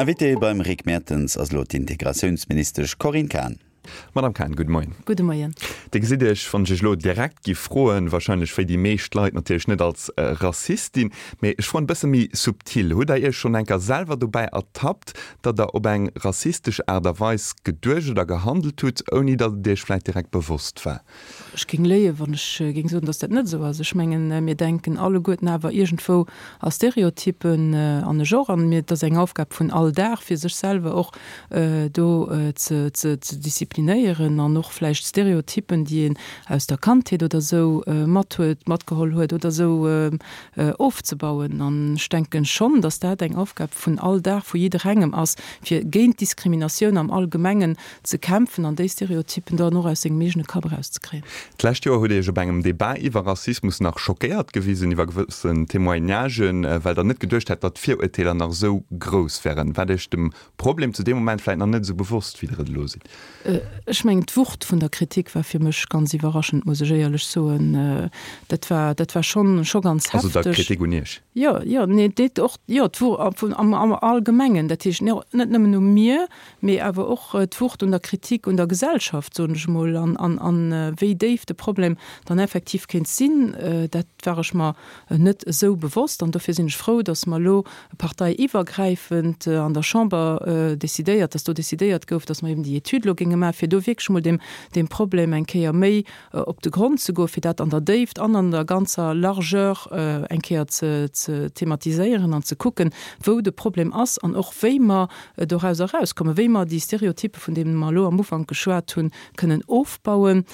Invitée beim Rick Mertens ass elo d'Integratiounsministesch Corinne Cahen. Madame Cahen, gudde Moien. Gudde Moien. Dir gesitt Iech, wann ech Iech elo direkt giff froen, wahrscheinlech wéi déi meescht Leit natierlech net als Rassistin, mee ech froen e bësse méi subtil, Hutt Der Iech schonn enker selwer dobäi ertappt, datt Der op eng rassistesch Aart a Weis geduecht oder gehandelt hutt, ouni datt et Iech vläicht direkt bewosst war? Ech géing léien, wann ech géing soen, datt dat net esou ass. Ech mengen, mir denken alleguerten awer iergendwou a Stereotypen, an ech och. An mir, et ass eng Aufgab vun all Dag, fir sech selwer och do ze ze disziplinéieren an och vläicht Stereotypen, déi een aus der Kandheet oder esou mat huet, matgeholl huet oder esou, ofzebauen. An ech denken schonn, datt dat eng Aufgab vun all Dag, vu jidderengem ass, fir géint Diskriminatioun am Allgemengen ze kämpfen an déi Stereotypen dann och aus sengem eegene Kapp erauszekréien. D'lescht Joer hutt Dir Iech op engem Debat iwwer Rassismus nach schockéiert gewisen iwwer gewëssen Témoignagen, well Der net geduecht hätt, datt d'Virurteeler nach esou grouss wären. Waart Iech dem Problem zu deem Moment vläit nach net esou bewosst, wéi Der et elo sidd? Ech mengen, d'Wucht vun der Kritik war fir mech ganz iwwerraschend, muss ech éierlech soen. Dat war, dat war schonn, scho ganz hefteg. Also der Kritik un Iech? Jo, jo, nee, déi och, jo, d'Wucht am, am Allgemengen. Dat heescht, net nëmmen u mir, mee awer och d'Wucht un der Kritik un der Gesellschaft, soen ech emol, an, an, an wéi déif de Problem dann effektiv kéint sinn, dat war ech mer net esou bewosst. An dofir sinn ech frou, datt mer elo parteiiwwergräifend an der Chamber decidéiert, datt do decidéiert gouf, datt mer eben déi Etüd elo géinge maachen, fir do wierklech emol deem, deem Problem eng Kéier méi op de Grond ze goen, fir dat an der Déift an an der ganzer Largeur eng Kéier ze, ze thematiséieren an ze kucken, wou de Problem ass an och wéi mer dorauser erauskommen, wéi mer déi Stereotype, vun deene mer elo am Ufank geschwat hunn, kënnen ofbauen.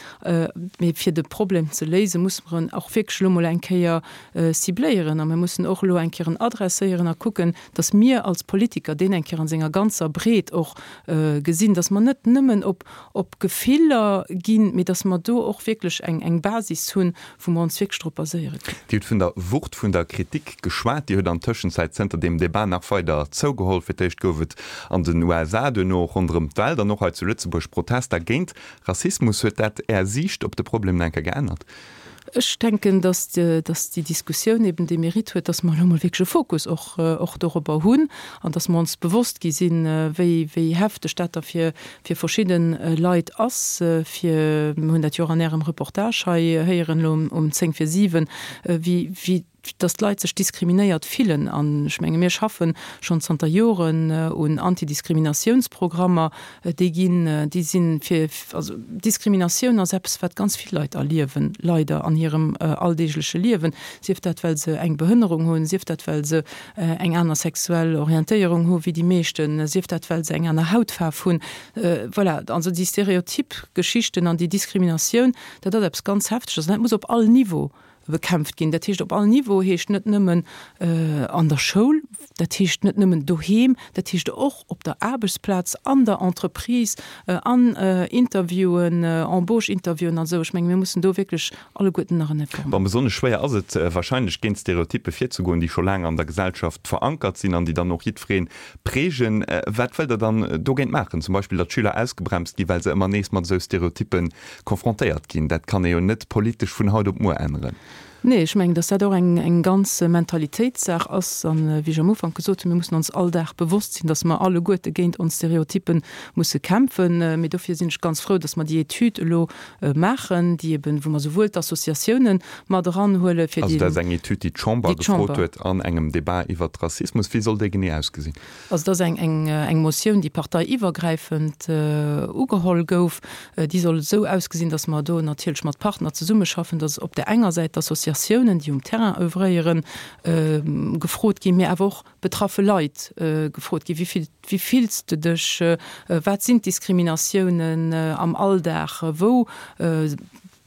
Mee fir de Problem ze léisen, musse mer en och wierklech elo mol eng Kéier cibléieren a mir mussen och elo eng Kéier en adresséieren a kucken, dass mir als Politiker deen eng Kéier an senger ganzer Breet och gesinn, dass mer net nëmmen op op Gefiller ginn, mee dass mer do och wierklech eng eng Basis hunn, wou mer ons wierklech drop baséiere kënnen. Dir hutt vun der Wucht vun der Kritik geschwat. Déi huet an Tëschenzäit zënter deem Debat nach weider zougeholl. Fir d'éischt gouf et an den USA, duerno och ronderëm d'Welt an och hei zu Lëtzebuerg Protester géint Rassismus. Huet dat Är Siicht op de Problem nach eng Kéier geännert? Ech denken, dass dass déi Diskussioun eben dee Mérite huet, dass mer elo emol wierklech e Fokus och och dorobber hunn an dass mer ons bewosst gi sinn, wéi wéi hefteg dat da fir fir verschidde Leit ass, fir, mir hunn dat jo och an Ärem Reportage hei héieren elo um 10 vir 7, wéi wéi dass d'Leit sech diskriminéiert fillen. An ech menge mir schaffe schonn zanter Joren un Antidiskriminatiounsprogrammer, déi ginn, déi si fir, also Diskriminatioun ass eppes, wat ganz vill Leit erliewen, leider an hirem alldeegleche Liewen, sief dat well se eng Behënnerung hunn, sief dat well se eng aner sexuell Orientéierung hu wéi déi meeschten, sief dat well se eng aner Hautfaarf hunn. Voilà, also déi Stereotyp Geschichten an déi Diskriminatioun, dat ass eppes ganz Hefteges an dat muss op all Niveau bekämpft ginn. Dat heescht op all Niveau heescht net nëmmen an der Schoul, dat heescht net nëmmen doheem, dat heescht och op der Aarbechtsplaz, an der Entreprise, an Interviewen, Embauche-Interviewen an esou. Ech menge mir mussen do wierklech alleguerten nach en Effort Bon, besonnesch schwéier ass et wahrscheinlech, géint Stereotyppe virzegoen, déi scho laang an der Gesellschaft verankert sinn an déi dann och jiddweree prägen. Wat wëllt Der dann dogéint maachen? Zum Beispill, datt Schüler ausgebremst ginn, well se ëmmer nees mat esou Stereotyppe konfrontéiert ginn. Dat kann ee jo net politesch vun haut op muer änneren. Nee, ech mengen, datt dat och eng, eng ganz Mentalitéitssaach ass. An, wéi ech am Ufank gesot hunn, mir mussen ons all Dag bewosst sinn, datt mer alleguerte géint ons Stereotyppe musse kämpfen. Mee dofir sinn ech ganz frou, datt mer déi Etüd elo maachen, déi eben, wou mer souwuel d'Associatiounen mat eranhuelen, fir Also dat ass eng Etüd, déi d'Chamber gefrot huet an engem Debat iwwert Rassismus. Wéi soll déi genee ausgesinn? Also dat ass eng, eng, eng Motioun, déi parteiiwwergräifend ugeholl gouf. Déi soll esou ausgesinn, datt mer do natierlech mat Partner zesummeschaffen, datt op där enger Säit d'Associatiounen, déi um Terrain oeuvréieren, gefrot ginn, mee awer och betraffe Leit gefrot ginn, Wéi wéi fills de dech, wat sinn d'Diskriminatiounen am Alldag, wou,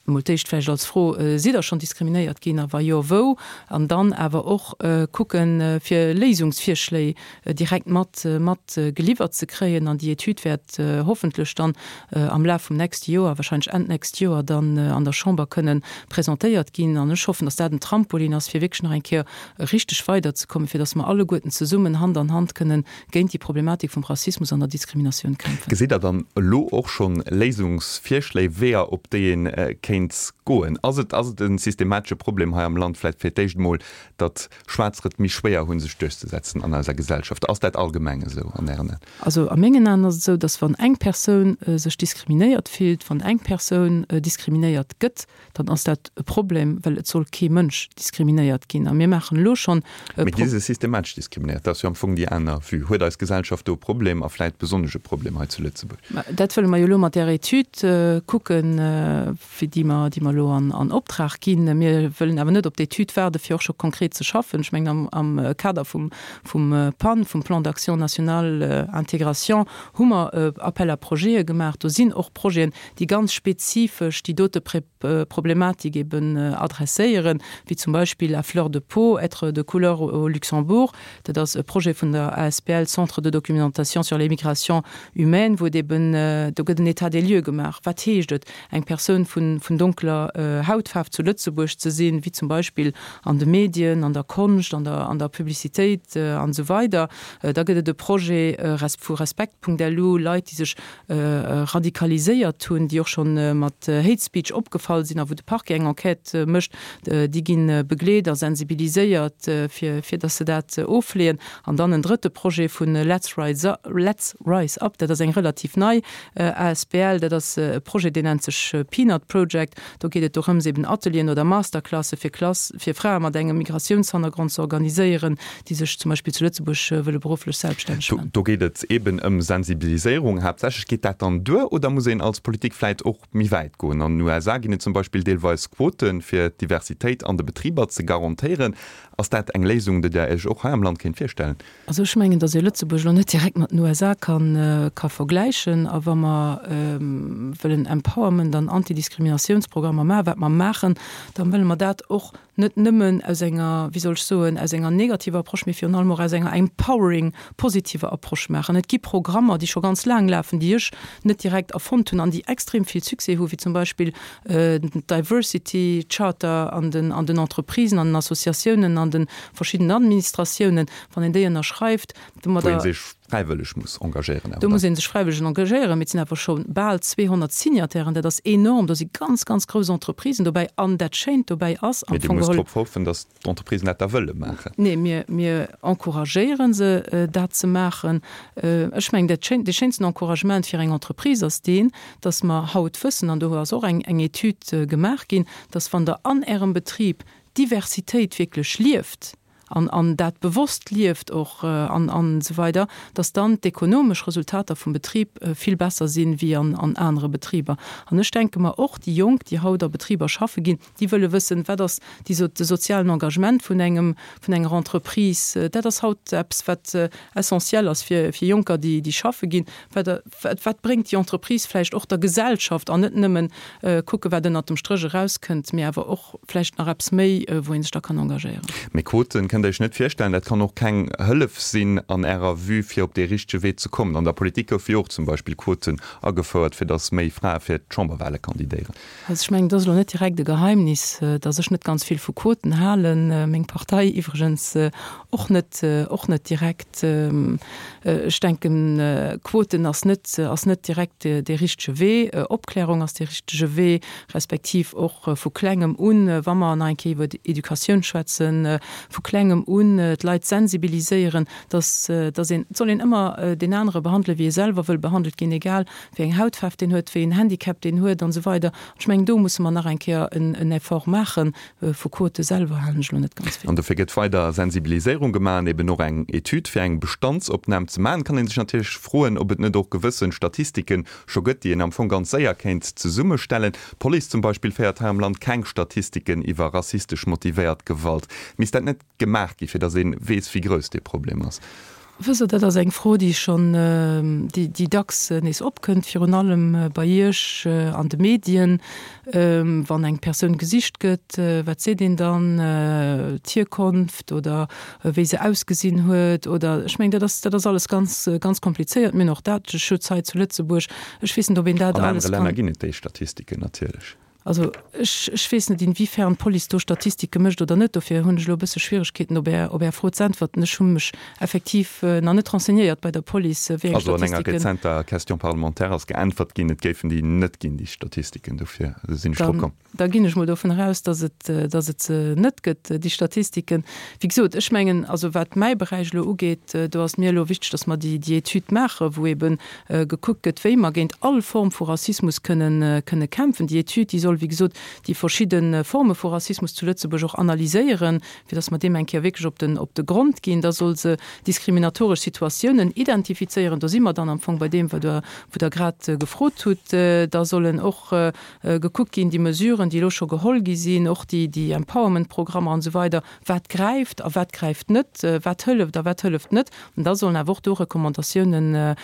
emol d'éischt vläicht als Fro, sidd Der schonn diskriminéiert ginn a wa jo, wou? An dann awer och kucken, fir Léisungsvirschléi direkt mat mat geliwwert ze kréien. An déi Etüd wäert hoffentlech dann am Laf vum nächste Joer, wahrscheinlech Enn d'nächst Joer, dann an der Chamber kënnen presentéiert ginn. An ech hoffen, dass dat en Trampolin ass, fir wierklech nach eng Kéier richteg weiderzekommen, fir dass mer alleguerten zesummen Hand an Hand kënnen géint déi Problematik vum Rassismus an der Diskriminatioun kämpfen. Gesitt Der dann elo och schonn Léisungsvirschléi, Weeër, op déi ee kéint. kéint goen. Ass et, ass et e systematesche Problem hei am Land vläicht fir d'éischt emol, datt Schwaarzer et méi schwéier hunn, sech duerchzesetzen an eiser Gesellschaft? Ass dat allgemeng esou an Ären Aen? Also a mengen Aen ass et esou, datt wann eng Persoun sech diskriminéiert fillt, wann eng Persoun diskriminéiert gëtt, dann ass dat e Problem, well et soll kee Mënsch diskriminéiert ginn. A mir maachen elo schonn e. Mee gi se systematesch diskriminéiert? Dat ass jo am Fong déi aner Vue. Huet eis Gesellschaft do e Problem a vläit besonnesch e Problem hei zu Lëtzebuerg? Mä dat wëlle mer jo elo mat där Etüd kucken, fir déi mer, déi mer elo an Optrag ginn. Mir wëllen awer net op d'Etüd waarden, fir och scho konkret ze schaffen. Ech mengen, am Kader vum, vum PAN, vum Plan d'action national intégration, hu mer Appel à projete gemaach. Do sinn och Projeten, déi ganz spezifesch déi dote Problematik eben adresséieren, wéi zum Beispill À fleur de peau, être de couleur au Luxembourg. Dat ass e Projet vun der asbl Centre de documentation sur les migrations humaines, wou et eben, do gëtt en État des lieux gemaach, wat heescht et, eng Persoun vun donkeler Hautfaarf zu Lëtzebuerg ze sinn, wéi zum Beispill an de Medien, an der Konscht, an der, an der Publicitéit an esou weider. Da gëtt et e Projet resp. Vu Respekt.lu, Leit, déi sech radikaliséiert hunn, déi och scho mat Hate Speech opgefall sinn a wou de Parquet eng Enquête mécht, déi gi begleet a sensibiliséiert, fir fir datt se dat ofleeën. An dann en drëtte Projet vu Let's Rise Let's Rise Up, dat ass eng relativ nei asbl, dat ass e Projet, deen nennt sech Peanut Project. Do geet et dorëms, eben Atelieren oder Masterclasse fir Klass fir Frae mat engem Migratiounshannergrond ze organiséieren, déi sech zum Beispill zu Lëtzebuerg wëlle berufflech selbststänneg maachen. Do geet et eben ëm Sensibiliséierung haaptsächlech. Geet dat dann duer oder muss een als Politik vläit och méi wäit goen? An den USA ginn et zum Beispill deelweis Quoten, fir d'Diversitéit an de Betriber ze garantéieren. Ass dat eng Léisung, déi Der Iech och hei am Land kéint virstellen? Also ech mengen, datt ee Lëtzebuerg elo net direkt mat den USA ka vergläichen. A wa mer wëllen Empowerment an Antidiskriminatiounsprogrammer maachen, wat mer maachen, da wëlle mer dat och net nëmmen aus enger, wéi soll ech soen, aus enger negativer Approche, mee virun allem och aus enger empowering, positiver Approche maachen. Et gi Programmer, déi scho ganz laang lafen, déi ech net direkt erfonnt hunn an déi extrem vill Succès hu wéi zum Beispill d'Diversity Charter an den an den Entreprisen, an den Associatiounen, an de verschiddenen Administratiounen. Wann een déi ënnerschreift, domadder. Wou ee sech fräiwëlleg muss engagéieren awer. Do muss ee sech fräiwëlleg engagéieren, mee et sinn awer scho bal 200 Signatairen, dat ass enorm. Do si ganz, ganz grouss Entreprisen dobäi. An dat Schéint dobäi ass am Fong geholl. Mee Dir musst drop hoffen, datt d'Entreprisen dat da wëlle maachen. Nee, mir, mir encouragéiere se, dat ze maachen. Ech mengen, dat schéin, dee schéinsten Encouragement fir eng Entreprise ass deen, datt mer haut wëssen, an do ass och eng, eng Etüd gemaach ginn, datt wann Der an Ärem Betrib d'Diversitéit wierklech lieft, an an dat bewosst lieft och an an esou weider, dass dann d'ekonomesch Resultater vum Betrib vill besser sinn wéi an an anere Betriber. An ech denke mer och, déi Jonk, déi haut a Betriber schaffe ginn, déi wëlle wëssen, wat ass déi so de sozialen Engagement vun engem vun enger Entreprise. Dat ass haut eppes, wat essentiel ass fir fir Jonker, déi déi schaffe ginn. Wat wat wat bréngt déi Entreprise vläicht och der Gesellschaft an net nëmmen kucke wat ënnert dem Stréch erauskënnt, mee awer och vläicht nach eppes méi, wou ee sech da kann engagéieren. Mee Quoten kënnt Der Iech net virstellen, dat kann och keng Hëllef sinn an Ärer Vue fir op dee richtege Wee ze kommen. An der Politik goufe jo och zum Beispill Quoten agefouert, fir datt méi Frae fir d'Chamberwahle kandidéieren. Also ech mengen, et ass elo net direkt e Geheimnis, datt ech net ganz vill vu Quoten halen, meng Partei iwwregens och net, och net direkt. Ech denken, Quoten ass net, ass net direkt dee richtege Wee. Opklärung ass dee richtege Wee, respektiv och vu Klengem un, wa mer nach eng Kéier iwwer Educatioun schwätzen, vu Klengem un d'Leit sensibiliséieren, datt, datt een, et soll een ëmmer deen anere behandelen, wéi ee selwer wëll behandelt ginn, egal wéi eng Hautfaarf deen huet, wéi en Handicap deen huet an esou weider. An ech mengen, do musse mer nach eng Kéier en Effort maachen. Vu Quote selwer halen ech elo net ganz vill. An dofir gëtt weider Sensibiliséierung gemaach an eben och eng Etüd, fir eng Bestandsopnam ze maachen. Kann ee sech natierlech froen, ob et net och gewësse Statistike scho gëtt, déi een am Fong ganz séier kéint zesummestellen. D'Police zum Beispill féiert hei am Land keng Statistiken iwwer rassistesch motivéiert Gewalt. Misst dat net gemaach gi fir datt ee weess, wéi grouss dee Problem ass? Wësst Der, dat ass eng Fro, déi schonn, déi dacks nees opkënnt, virun allem bei Iech an de Medien. Wann eng Persoun gesicht gëtt, wat seet een dann? D'Hierkonft oder wéi se ausgesinn huet oder, ech mengen, dat ass, dat ass alles ganz, ganz komplizéiert. Mir hunn och Dateschutz hei zu Lëtzebuerg. Ech weess net, ob een dat alles kann. An anere Länner ginn et déi Statistiken natierlech. Also ech, ech weess net, inwiefern d'Police do Statistike mécht oder net. Dofir hunn ech elo e bësse Schwieregkeeten, op Är, op Är Fro ze äntwerten. Ech hu mech effektiv nach net renseignéiert bei der Police, wéi eng Also an enger Statistiken. rezenter Question parlementaire ass geäntwert ginn, et géifen déi net ginn, déi Statistiken. Dofir sinn ech drop komm. Da ginn ech mol dovun eraus, dass et, dass et se net gëtt, déi Statistiken. Wéi gesot, ech mengen, also wat mäi Beräich elo ugeet, do ass mir elo wichteg, dass mer déi, déi Etüd maachen, wou eebe gekuckt gëtt, wéi mer géint all Form vu Rassismus kënnen, kënne kämpfen. Déi Etüd, déi soll, wéi gesot, déi verschidde Forme vu Rassismus zu Lëtzebuerg och analyséieren, fir dass mer deem eng Kéier wierklech op den, op de Grond ginn. Da soll se diskriminatoresch Situatiounen identifizéieren. Do si mer dann am Fong bei deem, wat Der, wou Der grad gefrot hutt. Da sollen och gekuckt ginn, déi Mesuren, déi elo scho geholl gi sinn, och déi, déi Empowerment-Programmer an esou weider, wat gräift a wat gräift net, wat hëlleft a wat hëlleft net. An da sollen awer och do Recommandatiounen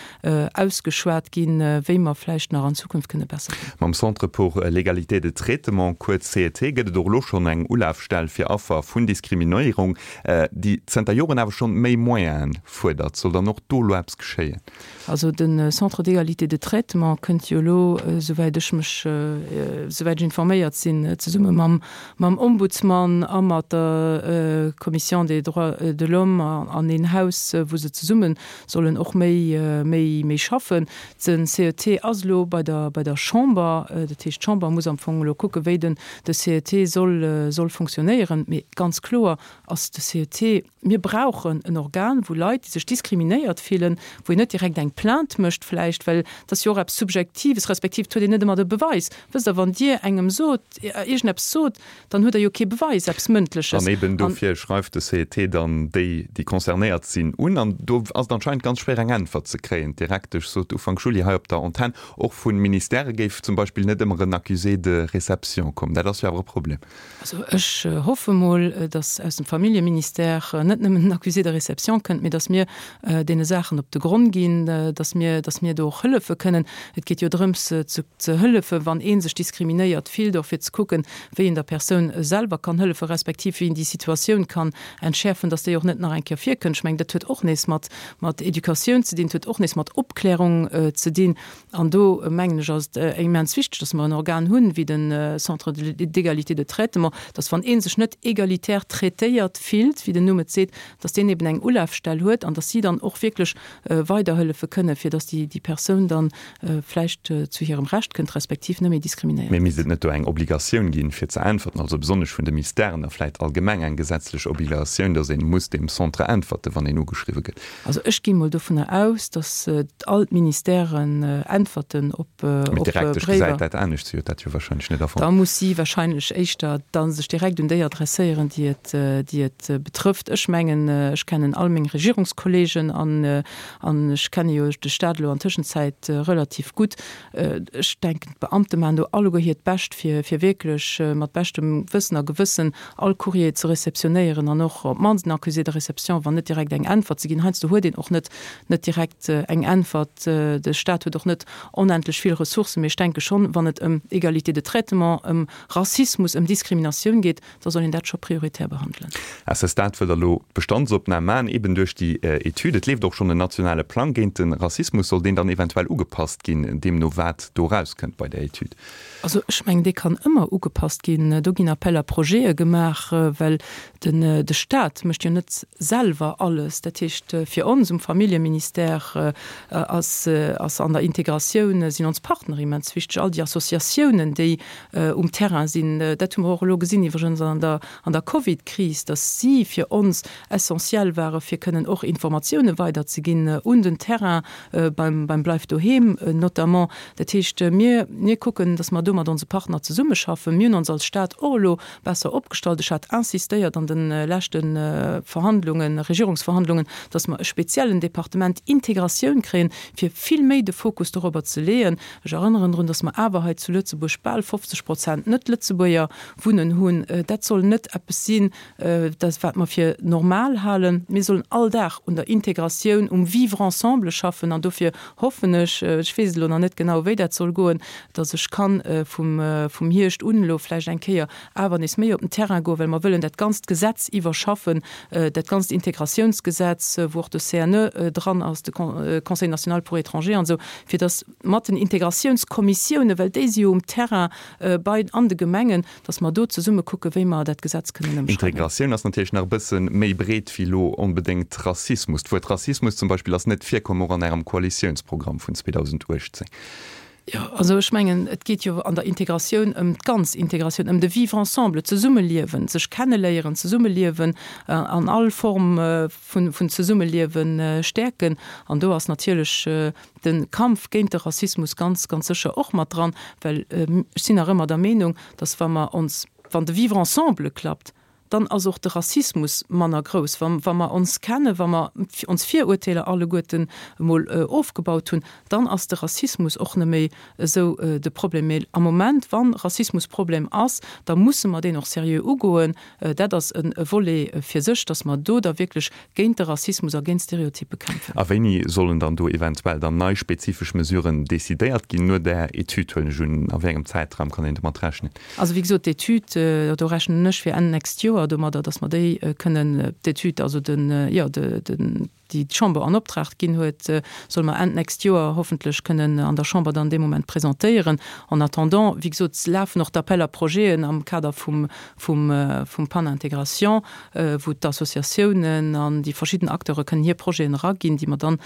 ausgeschwat ginn, wéi mer vläicht nach an Zukunft kënne besser ginn. Mam Centre pour l'égalité de traitement, kuerz CET, gëtt et och elo schonn eng Ulafstell fir Affer vun Diskriminéierung, déi zënter Joren awer schonn méi Moyene fuerdert. Soll dann och do elo eppes geschéien? Also de Centre d'égalité de traitement kënnt jo elo, esouwäit ech mech, esouwäit ech informéiert sinn, zesumme mam, mam Ombudsman a mat der Commission des droits de l'homme an een Haus, wou se zesumme sollen och méi, méi, méi schaffen. Den CET ass elo bei der, bei der Chamber. Dat heescht, d'Chamber muss am Fong elo kucken, wéi den, de CET soll, soll fonctionnéieren. Mee ganz kloer ass de CET, Mir brauchen en Organ, wou Leit, déi sech diskriminéiert fillen, wou een net direkt eng Plainte mécht vläicht, well et ass jo och eppes Subjektives, respektiv et huet een net ëmmer de Beweis. Wësst Der, wann Dir engem sot, iergendeppes sot, dann hutt Der jo kee Beweis, eppes Mëndleches. An eben dofir schreift de CET dann déi, déi concernéiert sinn, un. An do ass et anscheinend ganz schwéier, eng Äntwert ze kréien. D'Direktesch sot Ufank Juli hei op der Antenn, och vu Ministèrë géif zum Beispill net ëmmer en Accusé de réception kommen. Dat ass jo awer e Problem. Also ech hoffe mol, datt aus dem Familljeministère net nëmmen en Accusé de réception kënnt, mee datt mir deene Saachen op de Gronn ginn, datt mir, datt mir do och hëllefe kënnen. Et geet jo drëms ze ze hëllefen, wann ee sech diskriminéiert fillt, och fir ze kucken, wéi een der Persoun selwer kann hëllefen, respektiv wéi een déi Situatioun kann entschäerfen, datt déi och net nach eng Kéier virkënnt. Ech mengen, dat huet och nees mat mat Educatioun ze dinn, et huet och nees mat Opklärung ze dinn. An do, mengen ech, ass et immens wichteg, dass mer en Organ hunn, wéi de Centre d'égalité de traitement, dass wann ee sech net egalitär traitéiert fillt, wéi den Numm et seet, dass deen eben eng Ulafstell huet an dass si dann och wierklech weiderhëllefe kënnen, fir dass déi Persoun dann vläicht zu hirem Recht kënnt, respektiv net méi diskriminéiert Mee misst et net do eng Obligatioun ginn, fir ze äntwerten, also besonnesch vun de Mistèren a vläicht allgemeng eng gesetzlech Obligatioun, dass ee muss deem Centre äntwerten, wann een ugeschriwwe gëtt? Also ech gi mol dovunner aus, datt all d'Ministèren äntwerten op Bréiwer. Mee d'Direktesch gesäit dat anescht, si huet dat jo wahrscheinlech net erfonnt. Da muss si wahrscheinlech éischter da sech direkt un déi adresséieren, déi et, déi et betrëfft. Ech mengen, ech kennen all meng Regierungskollegen an, an ech kenne jo de Staat elo an Tëschenzäit relativ gutt. Ech denken, d'Beamte maachen do alleguer hiert Bescht, fir, fir wierklech mat beschtem Wëssen a Gewëssen all Courrier ze réceptionnéieren an och op d'mannst en Accusé de réception, wann net direkt eng Äntwert ze ginn. Heiansdo huet een och net net direkt eng Äntwert. De Stat huet och net onendlech vill Ressourcen. Mee ech denke schonn, wann et ëm Égalité de traitement, ëm Rassismus, ëm Diskriminatioun geet, da soll een dat scho prioritär behandelen. À ce stade wëllt Der elo d'Bestandsopnam maachen, eben duerch déi Etüd. Et leeft och schonn en nationale Plang géint de Rassismus. Soll deen dann eventuell ugepasst ginn, deemno wat do erauskënnt bei där Etüd? Also ech mengen, dee kann ëmmer ugepasst ginn. Do ginn Appel à projete gemaach, well den de Stat mécht jo net selwer alles. Dat heescht, fir ons um Familljeministère ass ass an der Integratioun sinn ons Partner immens wichteg, all déi Associatiounen, déi um Terrain sinn. Dat hu mer och elo gesinn iwwregens an der an der Covidkris, datt si fir ons essentiell ware fir kënnen och Informatioune weiderzeginn un den Terrain beim beim Bleif doheem notamment. Dat heescht, mir mir kucken, datt mer do mat onse Partner zesummeschaffen. Mir hunn ons als Stat och elo besser opgestallt. Ech hat insistéiert an de leschte Verhandlungen, Regierungsverhandlungen, datt mer e speziellen Departement Integratioun kréien, fir vill méi de Fokus dorobber ze leeën. Ech erënneren drun, datt mer awer hei zu Lëtzebuerg bal 50 Prozent Net-Lëtzebuerger wunnen hunn. Dat soll net eppes sinn, dat wat mer fir normal halen. Mir sollen all Dag un der Integratioun, um Vivre ensemble schaffen an dofir hoffen ech, ech weess et elo nach net genau, wéi dat soll goen, datt ech kann vum, vum Hierscht un elo vläicht eng Kéier awer nees méi op den Terrain goen, well mer wëllen dat ganzt Gesetz iwwerschaffen, dat ganzt Integratiounsgesetz, wou och de CNE dran ass, de Conseil national pour étrangers an esou, fir datt mat den Integratiounskommissiounen, well déi si jo um Terrain. bei an de Gemengen, dass mer do zesumme kucken, wéi mer dat Gesetz kënnen ëmschreiwen. Integratioun ass natierlech nach e bësse méi breet wéi elo onbedéngt Rassismus. D'Wuert Rassismus zum Beispill ass net virkomm, och an Ärem Koalitiounsprogramm vun 2018. Jo, also ech mengen, et geet jo an der Integratioun ëm d'ganz Integratioun, ëm de Vivre ensemble, d'Zesummeliewen, sech kenneléieren, zesummeliewen an all Form vun Zesummeliewe stäerken. An do ass natierlech de Kampf géint de Rassismus ganz, ganz sécher och mat dran, well ech sinn nach ëmmer der Meenung, dass wa mer ons, wann de Vivre ensemble klappt, dann ass och de Rassismus manner grouss. Wa wa mer ons kennen, wa mer ons Virurteeler alleguerten emol ofgebaut hunn, dann ass de Rassismus och net méi esou de Problem. Mee am Moment, wa Rassismus Problem ass, da musse mer deen och seriö ugoen. Dat ass e Volet fir sech, dass mer do da wierklech géint de Rassismus a géint Stereotyppe kämpfen. A wéini sollen dann do eventuell dann nei spezifesch Mesuren decidéiert ginn no där Etüd, huelen ech un? A wéi engem Zäitraum kann een domat rechnen? Also wéi gesot, d'Etüd, do rechnen ech fir Enn nächst Joer domadder, dass mer déi kënnen, d'Etüd, also den, jo, den, déi d'Chamber an Optrag ginn huet, solle mer Enn d'nächst Joer hoffentlech kënnen an der Chamber dann dee Moment presentéieren. En attendant, wéi gesot, lafen och d'Appels à projeten am Kader vum, vum, vum Pan Intégration, wou d'Associatiounen an déi verschidden Acteure kënnen hir Projeten eraginn, déi mer dann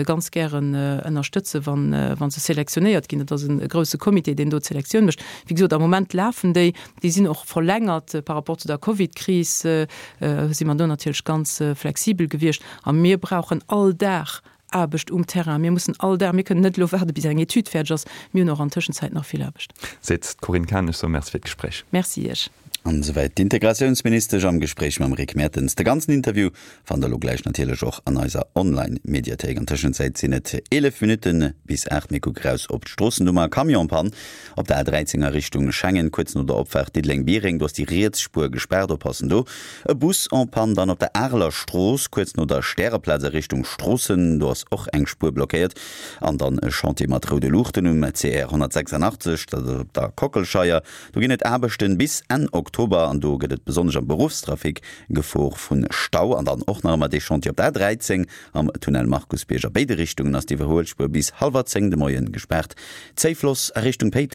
ganz gären ënnerstëtzen, wann, wa se selektionéiert ginn. Dat ass e grouse Comité, deen do d'Selektioun mécht. Wéi gesot, am Moment lafen déi. Déi sinn och verlängert par rapport zu der Covidkris, si mer do natierlech ganz flexibel gewiescht. A mir brauchen all Dag Aarbecht um Terrain. Mir mussen all Dag, mir kënnen net elo waarde bis eng Etüd fäerdeg ass. Mir hunn och an Tëschenzäit nach vill Aarbecht. Seet d'Corinne Cahen. Ech soe Merci fir d'Gespréich. Merci Iech. An esouwäit d'Integratiounsministesch am Gespréich mam Rick Mertens. De ganzen Interview fannt der elo gläich natierlech och an eiser Online-Mediathéik. An Tëschenzäit sinn et 11 Minutte bis 8. Mir kucke raus op d'Stroossenummer. Camionspann op der A13 a Richtung Schengen, kuerz no der Opfaart Diddeleng-Biereng. Do ass déi riets Spuer gespaart, oppassen do. E Bus en panne dann op der Areler Strooss, kuerz no der Stäreplaz a Richtung Stroossen. Do ass och eng Spuer blockéiert. An dann e Chantier mat roude Luuchten um CR 186, dat ass op der Kockelscheier. Do ginn et Aarbechten bis Enn Oktober an do gëtt et besonnesch am Beruffstrafic Gefor vu Stau. An dann och nach ëmmer dee Chantier op der A13 am Tunnel Markusbierg. A béide Richtungen ass d'Iwwerhuelspuer bis hallwer 10 de Moien gespaart. Zéifloss a Richtung Péiteng.